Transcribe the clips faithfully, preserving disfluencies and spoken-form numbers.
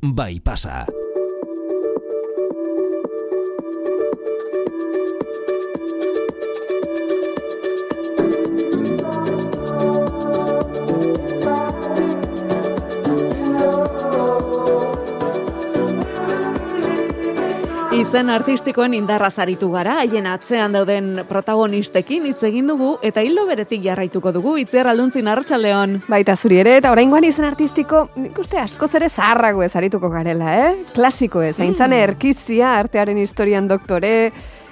bai pasa. Izen artistikoen indarraz aritu gara, haien atzean dauden protagonistekin hitz egin dugu eta hildo beretik jarraituko dugu. Itziar Alduntzin, arratsaldeon. Baita zuri ere, eta oraingoan izen artistiko, nik uste askoz ere zaharrago ez arituko garela, eh? Klasiko ez, aintzane erkizia, artearen historian doktore,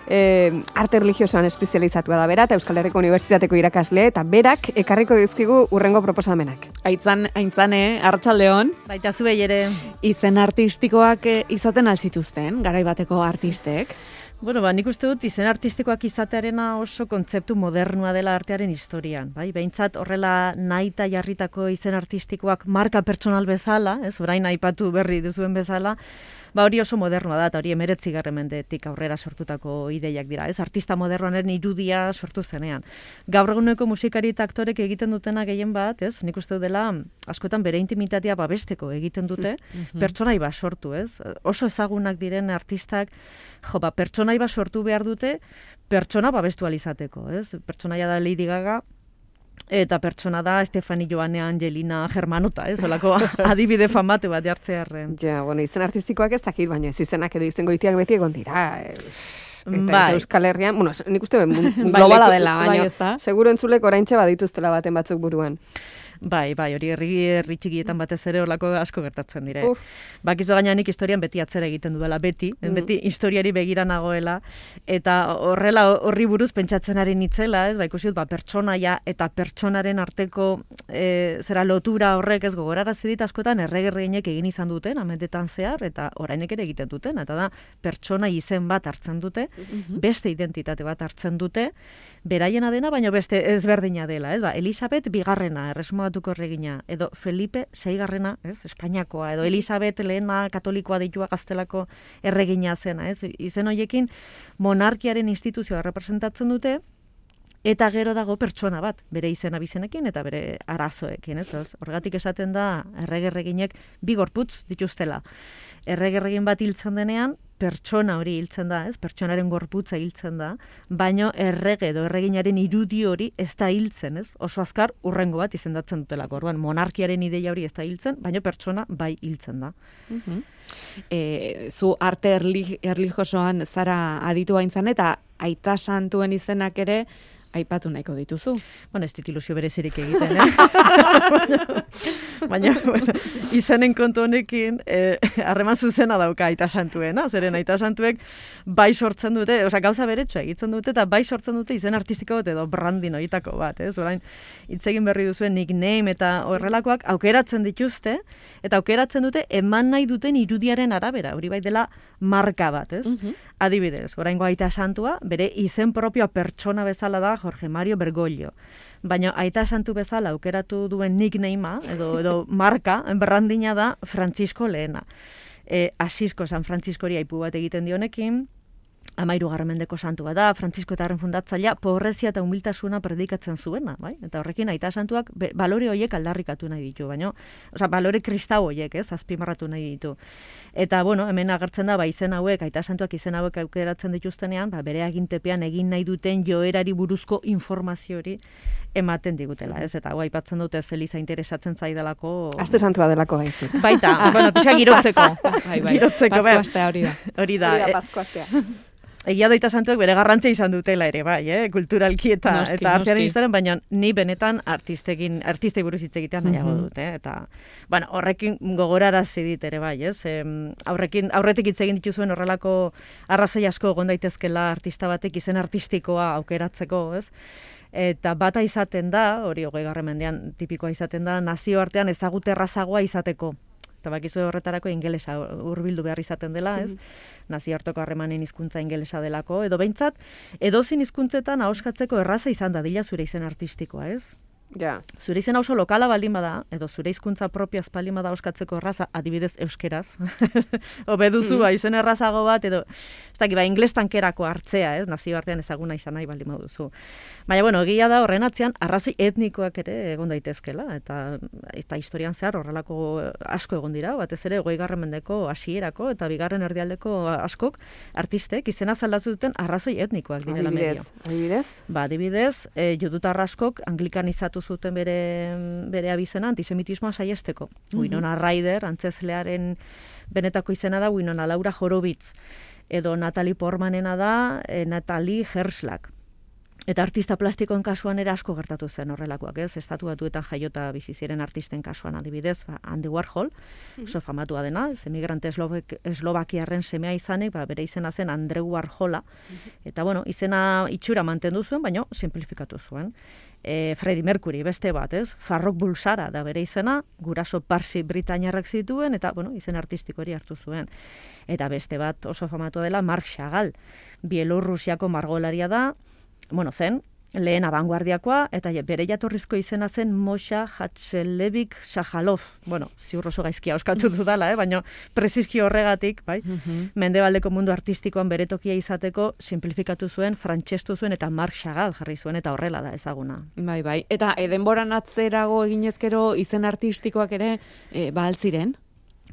eh, arte religiosoan espezializatua da bera, eta Euskal Herriko Unibertsitateko irakasle, eta berak ekarriko dizkigu urrengo proposamenak. Aitzan, aintzane, arratsaldeon. Baita zuei ere. Izen artistikoak eh, izaten alzituzten, garai bateko artistek. Bueno, ba, nik uste dut izen artistikoak izatearena oso kontzeptu modernua dela artearen historian, bai? Behintzat horrela nahita jarritako izen artistikoak marka pertsonal bezala, ez, orain aipatu berri duzuen bezala, ba hori oso modernua da, eta hori emeretzigarren mendetik aurrera sortutako ideiak dira, ez? Artista modernoaren irudia sortu zenean. Gaur eguneko musikari eta aktorek egiten dutena gehien bat, ez? Nik uste dut dela askotan bere intimitatea babesteko egiten dute, pertsonai bat sortu, ez? Oso ezagunak diren artistak, jo, ba, pertsonai bat sortu behar dute, pertsona babestu alizateko, ez? Pertsonaia da Lady Gaga, eta pertsona da Stefani Joane Angelina Germanota, ez? Olako adibide famatu bat jartzearren. Ja, bueno, izen artistikoak ez dakit, baina ez izenak edo izen goitiak beti egon dira. Eta, eta Bai. Euskal Herrian, bueno, nik uste globala dela, bai, baina ezta? seguro entzulek oraintxe badituztela baten batzuk buruan. Bai, bai, hori herri herri txikietan batez ere horlako asko gertatzen dire. Uf. Bakizu gaina nik historian beti atzera egiten dudala, beti, Mm. beti historiari begira nagoela, eta horrela horri buruz pentsatzen ari nitzela, ez, ba, ikusi dut, ba, pertsonaia eta pertsonaren arteko e, zera lotura horrek ez gogorarazi dit askotan erregerreinek egin izan duten, amendetan zehar, eta orainek ere egiten duten, eta da, pertsona izen bat hartzen dute, beste identitate bat hartzen dute, beraiena dena, baina beste ezberdina dela, ez, ba, Elisabet bigarrena, erresumatuko erregina, edo Felipe seigarrena, ez, Espainiakoa, edo Elisabet lehena katolikoa deitua gaztelako erregina zena, ez, izen horiekin monarkiaren instituzioa representatzen dute, eta gero dago pertsona bat, bere izena bizenekin eta bere arazoekin, ez, ez? Horregatik esaten da erregerreginek bi gorputz dituztela. Erregerregin bat hiltzen denean, pertsona hori hiltzen da, ez? Pertsonaren gorputza hiltzen da, baino errege edo erreginaren irudi hori ez da hiltzen, ez? Oso azkar urrengo bat izendatzen dutelako. Orduan monarkiaren ideia hori ez da hiltzen, baino pertsona bai hiltzen da. E, zu arte erli, erlijiosoan zara aditu aintzan eta aita santuen izenak ere aipatu nahiko dituzu. Bueno, ez dit ilusio berezirik egiten, eh? Baina, bueno, izenen kontu honekin, harreman eh, zuzena dauka aita santuena, zeren aita santuek bai sortzen dute, osea, gauza beretsua egiten dute, eta bai sortzen dute izen artistiko bat edo brandin horietako bat, ez? Orain, hitz egin berri duzuen nickname eta horrelakoak aukeratzen dituzte, eta aukeratzen dute eman nahi duten irudiaren arabera, hori bai dela marka bat, ez? Adibidez, oraingo aita santua, bere izen propioa pertsona bezala da Jorge Mario Bergoglio. Baina aita santu bezala aukeratu duen nicknamea, edo, edo marka, brandina da Francisco lehena. E, Asisko San Franciscori aipu bat egiten dionekin, Amairu mendeko santu bat da, Francisco eta Harren fundatzailea pobrezia eta humiltasuna predikatzen zuena, bai? Eta horrekin aita santuak be, balore horiek aldarrikatu nahi ditu, baina, osea, balore kristau horiek, ez, azpimarratu nahi ditu. Eta, bueno, hemen agertzen da, ba, izen hauek, aita santuak izen hauek aukeratzen dituztenean, ba, bere agintepean egin nahi duten joerari buruzko informazio hori ematen digutela, ez? Eta hau aipatzen dute Eliza interesatzen zaidalako. Aste santua delako baizik. Baita, bueno, pixka girotzeko. Bai, bai. Girotzeko, Pasko astea hori da. Hori da. Hori da eh, Pasko astea. Egia daita santuek bere garrantzia izan dutela ere, bai, eh? Kulturalki eta, Noski, eta artearen noski. historian, baina ni benetan artistekin, artistei buruz hitz egitean nahiago dut, eh? Eta, bueno, horrekin gogorarazi dit ere, bai, ez? Em, aurrekin, aurretik hitz egin dituzuen horrelako arrazoi asko egon daitezkela artista batek izen artistikoa aukeratzeko, ez? Eta bata izaten da, hori hogeigarren mendean tipikoa izaten da, nazioartean ezagute errazagoa izateko. Eta bakizu horretarako ingelesa hurbildu behar izaten dela, ez? Nazioarteko harremanen hizkuntza ingelesa delako, edo behintzat, edozin hizkuntzetan ahoskatzeko erraza izan da dila zure izen artistikoa, ez? Ja. Zure izena oso lokala baldin bada, edo zure hizkuntza propioaz baldin bada oskatzeko erraza, adibidez euskeraz. Hobe duzu, mm. ba, izen errazago bat, edo, ez dakit, ba, ingles tankerako hartzea, ez, nazioartean ezaguna izan nahi baldin baduzu. Baina, bueno, egia da horren atzean, arrazoi etnikoak ere egon daitezkela, eta, eta historian zehar horrelako asko egon dira, batez ere, hogeigarren mendeko hasierako eta bigarren erdialdeko askok, artistek, izena zaldatu duten arrazoi etnikoak direla medio. Adibidez? Ba, adibidez, e, judutar askok anglikanizatu zuten bere, bere abizena antisemitismoa saiesteko. Mm-hmm. Winona Ryder, antzezlearen benetako izena da Winona Laura Horowitz, edo Natalie Portmanena da e, Natalie Herschlag. Eta artista plastikoen kasuan ere asko gertatu zen horrelakoak, ez? Estatu Batuetan jaiota bizi ziren artisten kasuan adibidez, ba, Andy Warhol, oso famatua dena, ez emigrante eslovak, eslovakiarren semea izanek, ba, bere izena zen Andreu Warhola, eta bueno, izena itxura mantendu zuen, baina simplifikatu zuen. E, Freddie Mercury, beste bat, ez? Farrokh Bulsara da bere izena, guraso parsi britainiarrak zituen, eta bueno, izen artistiko hori hartu zuen. Eta beste bat oso famatua dela Marc Chagall, Bielorrusiako margolaria da, bueno, zen, lehen abanguardiakoa, eta bere jatorrizko izena zen Mosha Hatzelevich Shahalov. Bueno, ziur oso gaizkia euskatu dudala, eh? Baina prezizki horregatik, bai? Mm-hmm. Mendebaldeko mundu artistikoan bere tokia izateko simplifikatu zuen, frantsestu zuen, eta Marc Chagall jarri zuen, eta horrela da ezaguna. Bai, bai. Eta e, denboran atzerago eginezkero izen artistikoak ere e, ba altziren?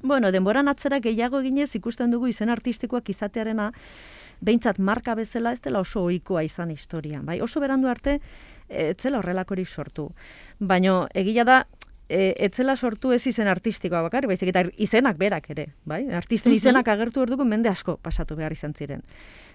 Bueno, denboran atzera gehiago eginez ikusten dugu izen artistikoak izatearena, behintzat marka bezala ez dela oso ohikoa izan historian, bai? Oso berandu arte ez zela horrelakorik sortu. Baina egia da e, ez zela sortu ez izen artistikoa bakar, baizik eta izenak berak ere, bai? Artisten izenak agertu orduko mende asko pasatu behar izan ziren.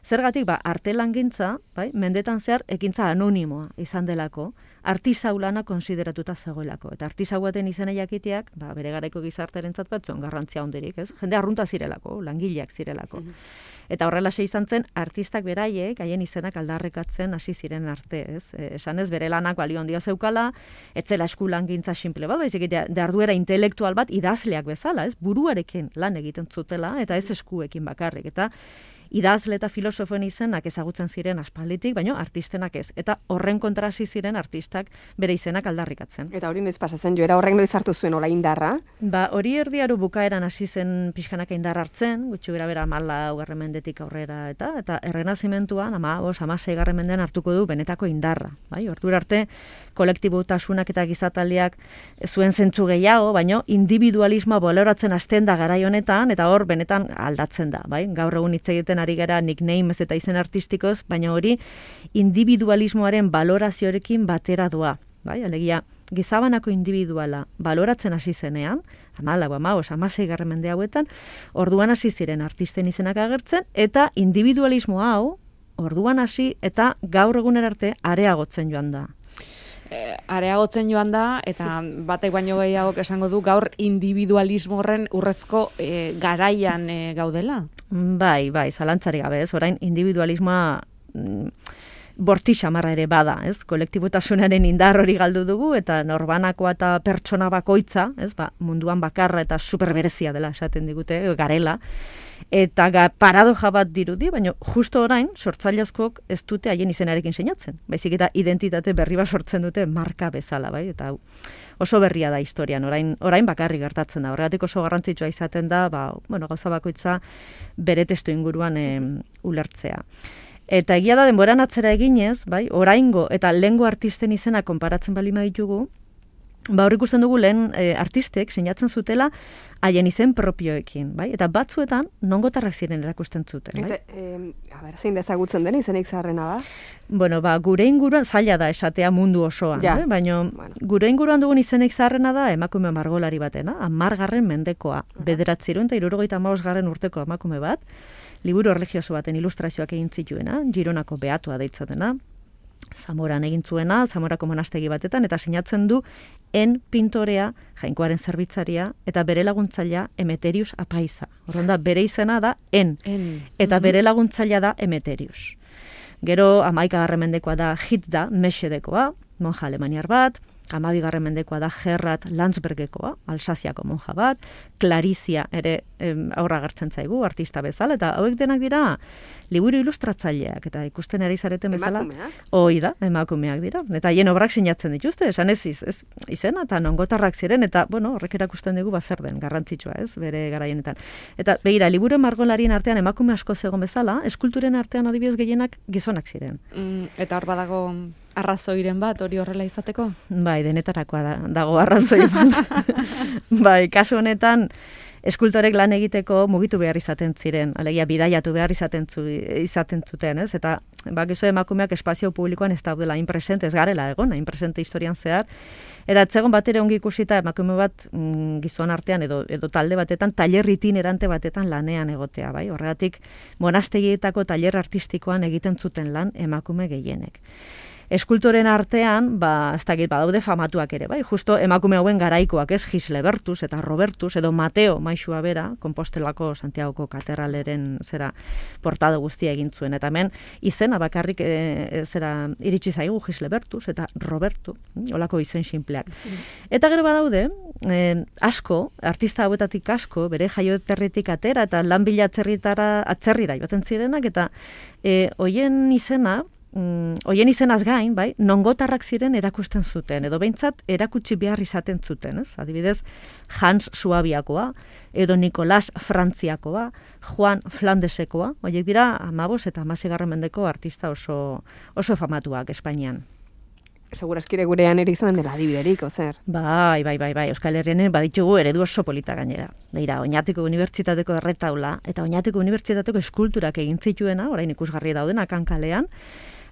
Zergatik, ba, artelangintza, bai, mendetan zehar ekintza anonimoa izan delako, artisau lana konsideratuta zegoelako. Eta artisau baten izena jakiteak, ba, bere garaiko gizartearentzat bat zon garrantzia honderik, ez? Jende arrunta zirelako, langileak zirelako. Eta horrelaxe izan zen, artistak beraiek, haien izenak aldarrekatzen hasi ziren arte, ez? E, esan ez, bere lanak balio handia zeukala, etzela eskulangintza simple bat, baizik eta jarduera intelektual bat idazleak bezala, ez? Buruarekin lan egiten zutela, eta ez eskuekin bakarrik. Eta idazle eta filosofoen izenak ezagutzen ziren aspalditik, baina artistenak ez. Eta horren kontra hasi ziren artistak bere izenak aldarrikatzen. Eta hori noiz pasatzen joera horrek noiz hartu zuen ola indarra? Ba, hori erdiaru bukaeran hasi zen pixkanaka indar hartzen, gutxi gara bera hamalaugarren mendetik aurrera eta eta errenazimentuan hamabost, hamaseigarren mendean hartuko du benetako indarra. Bai, ordura arte kolektibotasunak eta gizataldiak zuen zentzu gehiago, baina individualismoa baloratzen hasten da garai honetan eta hor benetan aldatzen da, bai? Gaur egun hitz egiten ari gara nicknames eta izen artistikoz, baina hori individualismoaren balorazioarekin batera doa. Bai, alegia, gizabanako individuala baloratzen hasi zenean, hamalau, hamabost, hamaseigarren mende hauetan, orduan hasi ziren artisten izenak agertzen, eta individualismo hau, orduan hasi eta gaur egunera arte areagotzen joan da. E, areagotzen joan da, eta batek baino gehiago esango du gaur individualismo horren urrezko e, garaian e, gaudela? Bai, bai, zalantzari gabe, ez, orain individualismoa mm, borti xamarra ere bada, ez, kolektibotasunaren indar hori galdu dugu, eta norbanakoa eta pertsona bakoitza, ez, ba, munduan bakarra eta superberezia dela esaten digute, garela, eta ga, paradoja bat dirudi, baina justo orain, sortzaile askok ez dute haien izenarekin sinatzen. Baizik eta identitate berri bat sortzen dute marka bezala, bai? Eta oso berria da historian, orain, orain bakarri gertatzen da. Horregatik oso garrantzitsua izaten da, ba, bueno, gauza bakoitza bere testu inguruan e, ulertzea. Eta egia da denboran atzera eginez, bai, oraingo eta lehengo artisten izena konparatzen bali ditugu, ba hor ikusten dugu lehen e, artistek sinatzen zutela haien izen propioekin, bai? Eta batzuetan nongotarrak ziren erakusten zuten, bai? Eta, eh, a ber, zein dezagutzen den izenik zaharrena da? Bueno, ba, gure inguruan zaila da esatea mundu osoan, ja. eh? Baina bueno. Gure inguruan dugun izenik zaharrena da emakume margolari batena, hamargarren mendekoa, uh-huh. bederatziehun eta hirurogeita hamabosgarren urteko emakume bat, liburu erlijioso baten ilustrazioak egin zituena, Gironako beatua deitzatena, Zamoran egin zuena, Zamorako monastegi batetan, eta sinatzen du en pintorea, jainkoaren zerbitzaria, eta bere laguntzailea Emeterius Apaiza. Orduan da, bere izena da en, en. Eta mm-hmm. bere laguntzailea da Emeterius. Gero, hamaikagarren mendekoa da Hitda, Mesedekoa, monja alemaniar bat, hamabigarren mendekoa da Gerrat Landsbergekoa, Alsaziako monja bat, Clarizia ere em, aurra gertzen zaigu, artista bezala, eta hauek denak dira liburu ilustratzaileak, eta ikusten ari zareten bezala. Emakumeak? Hoi da, emakumeak dira. Eta hien obrak sinatzen dituzte, esan ez, iz, ez izena, eta nongotarrak ziren, eta, bueno, horrek erakusten dugu bazer den, garrantzitsua, ez, bere garaienetan. Eta, begira, liburu margolarien artean emakume asko zegoen bezala, eskulturen artean adibidez gehienak gizonak ziren. Mm, eta hor badago arrazoiren bat hori horrela izateko? Bai, denetarakoa da, dago arrazoi bat. Bai, kasu honetan, eskultorek lan egiteko mugitu behar izaten ziren, alegia bidaiatu behar izaten, zu, izaten zuten, ez? Eta bakizu emakumeak espazio publikoan ez daudela inpresente, ez garela egon, inpresente historian zehar, eta etzegon bat ere ongi ikusita emakume bat mm, gizon artean edo, edo talde batetan, taller itinerante batetan lanean egotea, bai? Horregatik, monastegietako taller artistikoan egiten zuten lan emakume gehienek. Eskultoren artean, ba, ez dakit, badaude famatuak ere, bai? Justo emakume hauen garaikoak, ez? Gislebertus eta Robertus, edo Mateo maixua bera, Kompostelako Santiagoko katedraleren zera portada guztia egin zuen. Eta hemen izena bakarrik e, zera iritsi zaigu Gislebertus eta Robertu, holako izen sinpleak. Eta gero badaude, e, asko, artista hauetatik asko, bere jaioterritik atera eta lan bila atzerritara, atzerrira joaten zirenak, eta e, hoien izena, Mm, hoien izenaz gain, bai, nongotarrak ziren erakusten zuten, edo behintzat erakutsi behar izaten zuten, ez? Adibidez, Hans Suabiakoa, edo Nicolas Frantziakoa, Juan Flandesekoa, horiek dira amabos eta hamaseigarren mendeko artista oso, oso famatuak Espainian. Segurazkire gurean ere izan dela adibiderik, ozer? Bai, bai, bai, bai, Euskal Herrian baditugu eredu oso polita gainera. Beira, Oñatiko Unibertsitateko erretaula eta Oñatiko Unibertsitateko eskulturak egin zituena, orain ikusgarri daudenak hankalean,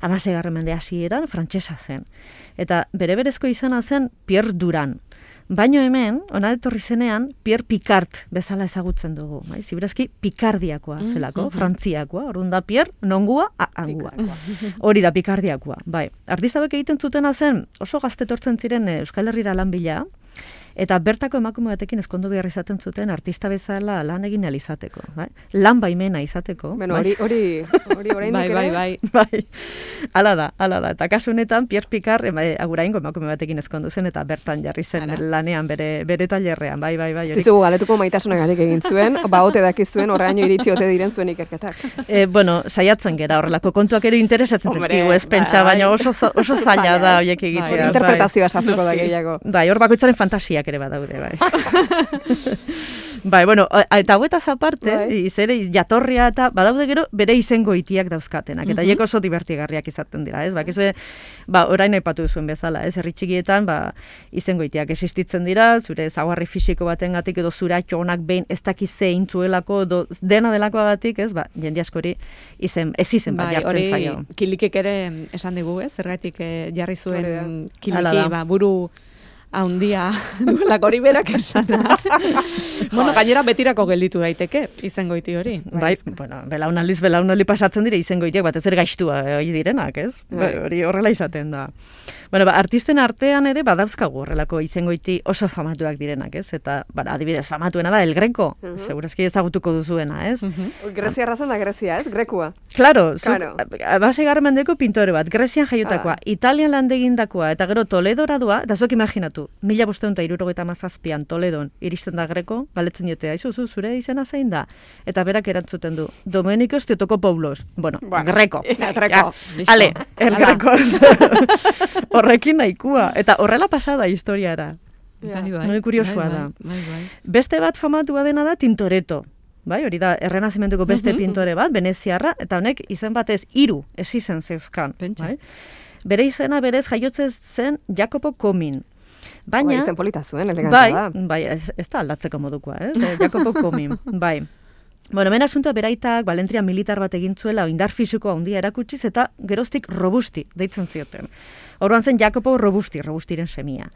hamaseigarren mende hasieran frantsesa zen. Eta bere berezko izena zen Pierre Duran. Baino hemen, ona etorri zenean, Pierre Picard bezala ezagutzen dugu. Bai? Ziberazki Picardiakoa zelako, Frantziakoa. Orduan da Pierre, nongua, a, angua. Hori da Picardiakoa. Bai. Artista hauek egiten zutena zen, oso gaztetortzen ziren Euskal Herrira lan bila, eta bertako emakume batekin ezkondu behar izaten zuten artista bezala lan egin ahal izateko. Bai? Lan baimena izateko. Bueno, bai? hori, hori, hori oraindik Bai, bai, ere? bai. Bai, ala da, ala da. Eta kasu honetan, Pierre Picard ema, aguraingo emakume batekin ezkondu zen, eta bertan jarri zen Ala. lanean bere, bere tailerrean, bai, bai, bai. hori. Zizugu galetuko maitasunagatik egin zuen, ba ote dakizuen horreaino iritsi ote diren zuen ikerketak. E, bueno, saiatzen gera horrelako kontuak ere interesatzen Hombre, zaizkigu ez pentsa, bai. baina oso, oso zaila da horiek Bai, egitea. Interpretazioa sartuko da Noski. gehiago. Bai, hor bakoitzaren fantasiak ere badaude, bai. Bai, bueno, eta hauetaz aparte, Bai. izere jatorria eta badaude gero bere izengoitiak dauzkatenak, eta hiek oso divertigarriak izaten dira, ez? Bakizue, ba, orain aipatu duzuen bezala, ez? Herri txikietan, ba, izengoitiak existitzen dira, zure ezaugarri fisiko batengatik edo zuratxo onak behin ez dakiz zein zuelako, edo dena delakoagatik, ez? Ba, jende askori izen, ez izen bat Bai, jartzen hori zaio. kilikek ere esan digu, ez? Zergatik eh, jarri zuen Hori da. kiliki, Hala da. ba, buru haundia duelak hori berak esana. Bueno, gainera betirako gelditu daiteke, izengoiti hori. Bai, bueno, belaunaldiz belaunaldi pasatzen dire izengoitiak batez ere gaixtua eh, hori direnak, ez? Bai. Ba, hori horrela izaten da. Bueno, ba, artisten artean ere badauzkagu horrelako izengoiti oso famatuak direnak, ez? Eta, bara, adibidez, famatuena da El Greco, Mhm. segurazki ezagutuko duzuena, ez? Mhm. Grezia errazan da Grezia, ez? Grekua. Claro, Claro. baseigarren mendeko pintore bat, Grezian jaiotakoa, Ah. Italian landegindakoa, eta gero Toledora doa, eta zuek imaginatu, mila bosteun eta hirurogeita hamazazpian Toledon iristen da Greco, galetzen diote, aizu, zu, zure izena zein da? Eta berak erantzuten du, Domenikos Teotokopoulos. Bueno, Bueno, Greco. Greco. Ja, Listo. ale, el Hala. Greco. Horrekin nahikua. Eta horrela pasada historiara. Bai, bai. Hori kuriosoa Bai, da. Bai, bai. Beste bat famatua dena da Tintoretto. Bai, hori da, errenazimentuko beste Mhm. pintore bat, veneziarra, eta honek izen batez hiru ez izen zeuzkan. Pentsa. Bai? Bere izena berez jaiotzen zen Jacopo Comin. Baina, Bai, izen polita zuen, elegantea bai, da. bai, ez, ez da aldatzeko modukoa, eh? eh, Jacopo Comin, bai. Bueno, hemen asuntoa beraitak balentria militar bat egin zuela, indar fisikoa handia erakutsiz, eta geroztik Robusti deitzen zioten. Orduan zen Jacopo Robusti, Robustiren semia.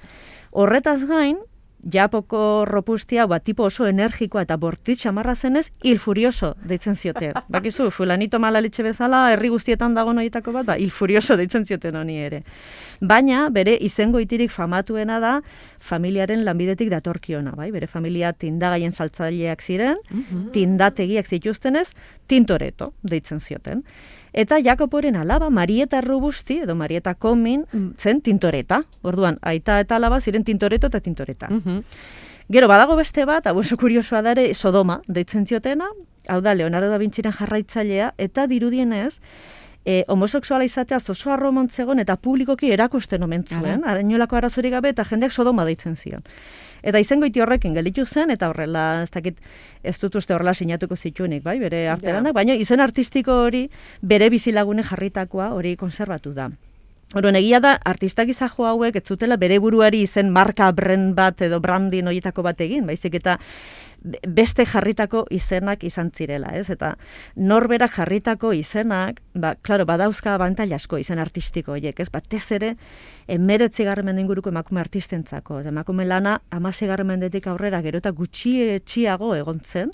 Horretaz gain, Japoko Robustia, ba, tipo oso energikoa eta bortitz xamarra zenez, il furioso deitzen zioten. Bakizu, fulanito malalitxe bezala, herri guztietan dago noietako bat, ba, il furioso deitzen zioten honi ere. Baina, bere izengoitirik famatuena da, familiaren lanbidetik datorkiona, bai? Bere familia tindagaien saltzaileak ziren, tindategiak zituztenez, Tintoretto deitzen zioten. Eta Jakoboren alaba, Marieta Robusti, edo Marieta Komin, zen tintoreta. Orduan, aita eta alaba ziren tintoreto eta tintoreta. Mhm. Gero, badago beste bat, hau oso kuriosoa dare, Sodoma, deitzen ziotena, hau da, Leonardo da Vinciren jarraitzailea, eta dirudienez, e, homosexuala izatea oso arromontzegon eta publikoki erakusten omen zuen, arainolako arazorik gabe, eta jendeak Sodoma deitzen zion. Eta izengoiti horrekin gelditu zen, eta horrela, ez dakit, ez dut uste horrela sinatuko zituenik, bai, bere artelanak, baina izen artistiko hori bere bizilagune jarritakoa hori konserbatu da. Orduan, egia da, artistak izajo hauek ez zutela bere buruari izen marka brand bat edo brandin horietako bat egin, baizik eta beste jarritako izenak izan zirela, ez? Eta norberak jarritako izenak, ba, klaro, badauzka abantaila asko izen artistiko horiek, ez? Batez ere, emeretzigarren mende inguruko emakume artistentzako. Emakume lana, hamaseigarren mendetik aurrera gero eta gutxietxiago egon zen.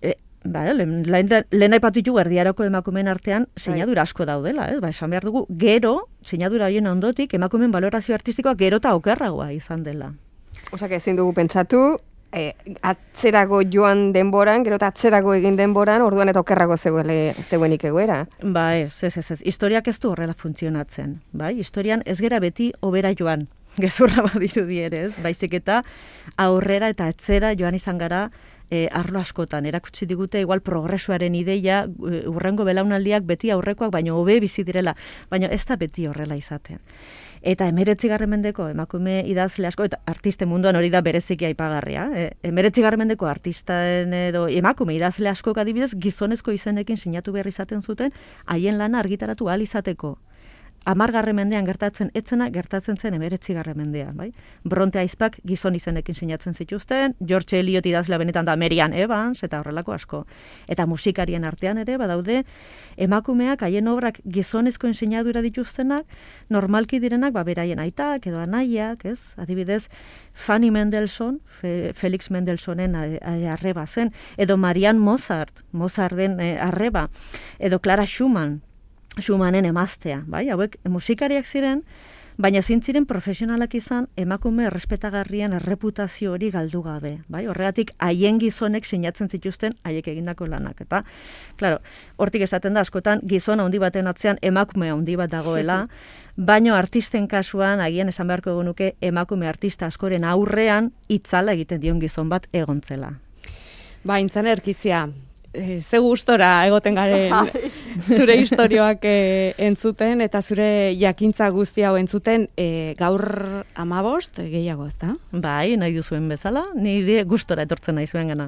E, ba, lehen, lehen aipatu ditugu erdiaroko emakumeen artean sinadura asko daudela, ez? Ba, esan behar dugu, gero, sinadura horien ondotik, emakumeen balorazio artistikoa gero eta okerragoa izan dela. Osak ezin dugu pentsatu, E, atzerago joan denboran, gero eta atzerago egin denboran, orduan eta okerrago zegoele, zegoenik egoera. Ba ez, ez, ez, ez. Historiak ez du horrela funtzionatzen. Bai? Historian ez gera beti hobera joan, gezurra badirudi ere, ez? Baizik eta aurrera eta atzera joan izan gara e, arlo askotan. Erakutsi digute igual progresuaren ideia, urrengo belaunaldiak beti aurrekoak, baino hobe bizi direla, baina ez da beti horrela izaten. Eta emeretzigarren mendeko emakume idazle asko, eta artiste munduan hori da bereziki aipagarria, e, emeretzigarren mendeko artisten edo emakume idazle askok adibidez gizonezko izenekin sinatu behar izaten zuten, haien lana argitaratu ahal izateko. Hamargarren mendean gertatzen etzena, gertatzen zen emeretzigarren mendean, bai? Bronte aizpak gizon izenekin sinatzen zituzten, George Eliot idazlea benetan da Marian Evans, eta horrelako asko. Eta musikarien artean ere, badaude, emakumeak haien obrak gizonezkoen sinadura dituztenak, normalki direnak, ba, beraien aitak edo anaiak, ez? Adibidez, Fanny Mendelssohn, Fe, Felix Mendelssohnen arreba zen, edo Marianne Mozart, Mozarten eh, arreba, edo Clara Schumann, Schumannen emaztea, bai? Hauek musikariak ziren, baina zintziren profesionalak izan emakume errespetagarrien erreputazio hori galdu gabe, bai? Horregatik haien gizonek sinatzen zituzten haiek egindako lanak, eta claro, hortik esaten da askotan gizon handi baten atzean emakume handi bat dagoela, baino artisten kasuan agian esan beharko genuke emakume artista askoren aurrean itzala egiten dion gizon bat egontzela. Ba, Intzan Erkizia, E, ze gustora egoten garen zure istorioak e, entzuten eta zure jakintza guzti hau entzuten e, gaur hamabost gehiago, ezta? Bai, nahi duzuen bezala, nire gustora etortzen nahi zuen gana.